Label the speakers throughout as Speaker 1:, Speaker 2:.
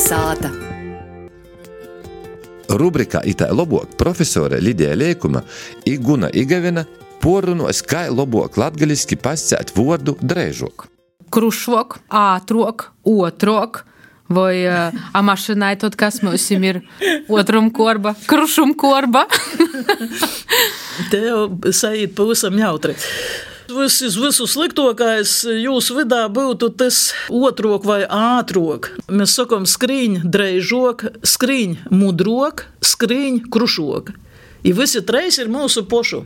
Speaker 1: Kalnasāta.
Speaker 2: Rubrikā Itā lobok profesore Lidija Leikuma i Guna Igavina porunos, kā lobok latgaliski pascēt vordu dreižok.
Speaker 3: Krušvok, ātrok, otrok, vai mašinai tot, kas mums ir otrum korba, krušum korba.
Speaker 4: Te jau saīt pavisam jautri. Visu sliktokais jūsu vidā būtu tas otrok vai ātrok. Mēs sakam skrīņ dreižok, skrīņ mudrok, skrīņ krušok. I visi treis ir mūsu pošu.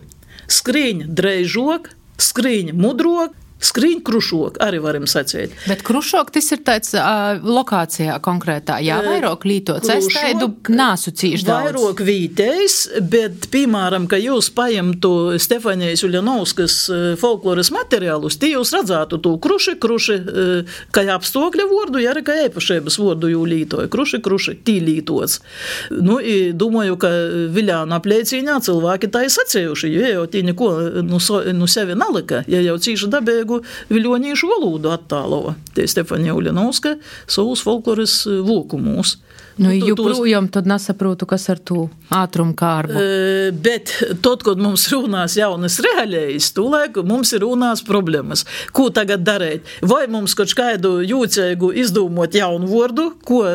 Speaker 4: Skrīņ dreižok, skrīņ mudrok, skrīņ krušok, arī varam sacīt.
Speaker 3: Bet krušok, tas ir tāds lokācijā konkrētā, jā, vairāk lītots. Es taidu nāsu cīši daudz.
Speaker 4: Vairāk vītējs, bet, piemēram, ka jūs paimtu Stefanijas Uļanovskas folkloras materiālus, tie jūs redzētu to kruši, kā apstākļa vordu, ja arī kā īpašības vordu jū lītoja. Kruši, tī lītots. Nu, i domāju, ka Viļāna apliecīņā cilvēki tā ir sacējuši, jo jau tī neko nu sevi nalika, ja jau cīši dabēgu viļoņīšu valodu attālova. Te Stefanija Uļanovska savus folkloras vokumūs.
Speaker 3: Nu, joprojām tad nesaprotu, kas ar to ātrumu kārbu.
Speaker 4: Bet tot, kad mums runās jaunas reālējas, tūlēk mums ir runās problēmas. Ko tagad darēt? Vai mums kaut kādu jūcēgu izdūmot jaunu vordu, ko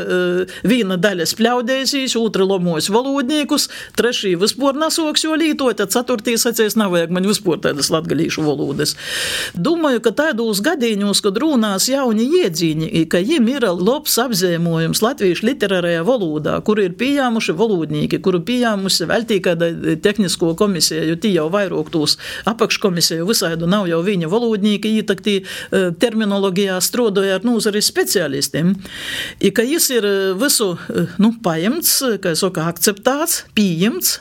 Speaker 4: viena daļa spļaudēsīs, otra lomos valodniekus, trešī vispār nasoks jo lītot, tad ceturtī sacēs nav vajag man vispār tādas latgalīšu valodas. Domāju, ka tādos gadīņos, kad runās jauni iedzīņi, ka jiem ir labs apzīmojums latviešu literārajā valodā, kuru ir pieņēmuši valodnīki, kuru pieņēmusi vēl tī kāda tehnisko komisija, jo tī jau vairāk tūs apakškomisiju visādu nav jau viņa valodnīki, tak tī terminologijā strodoja ar nūzari specialistiem. I ka jis ir visu, paimts, kā saka, akceptāts, pieņemts,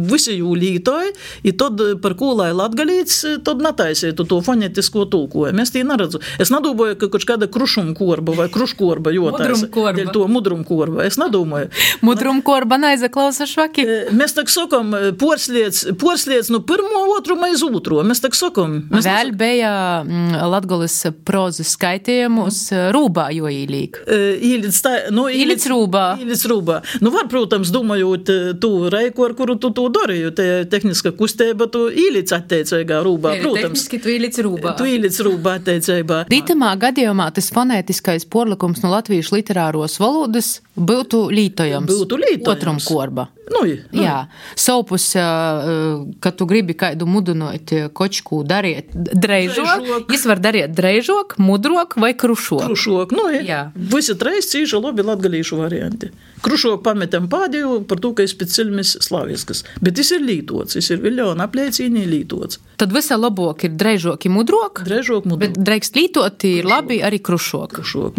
Speaker 4: visi jū lītoja, i tad par ko lai latgalīts, tad nataisītu to fonetisko tulkojumu. Es tī neredzu. Es nedomāju, ka kaut kāda krušumkorba vai kruškorba jotaisa. Mudrumkorba. Es nedomāju.
Speaker 3: Mudrumkorba naizaklausa švaki.
Speaker 4: Mēs tak sakam, porsliec no pirmo otruma iz otro. Mēs tak sakam.
Speaker 3: Vēl bija latgalis prozas skaitījumus rūbā jo īlīk. Īlic rūbā.
Speaker 4: Nu var, protams, domājot tu reiku, ar kuru tu darīju, te tehniska kustība, tu īlic atteicīgā rūbā, protams.
Speaker 3: Tehniski tu īlic rūbā.
Speaker 4: Tu īlic rūbā atteicībā.
Speaker 3: Dītamā gadījumā tas fonētiskais porlikums no latviešu literāros valodas būtu lītojams. Otrum korba. Jā. Saupus, kad tu gribi kādu mudinot kočku dariet dreižok, jis var dariet dreižok, mudrok vai krušok.
Speaker 4: Krušok, jā. Visi treis cīši labi latgalīšu varianti. Krušok pametam pādēju par to, ka es pēc cilmis slaviskas. Bet jis ir lītots, jis ir Viļāna apliecīnī lītots.
Speaker 3: Tad visa labok ir dreižok, mudrok.
Speaker 4: Dreižok, mudrok.
Speaker 3: Bet dreikst lītot ir labi arī krušok.
Speaker 4: Krušok,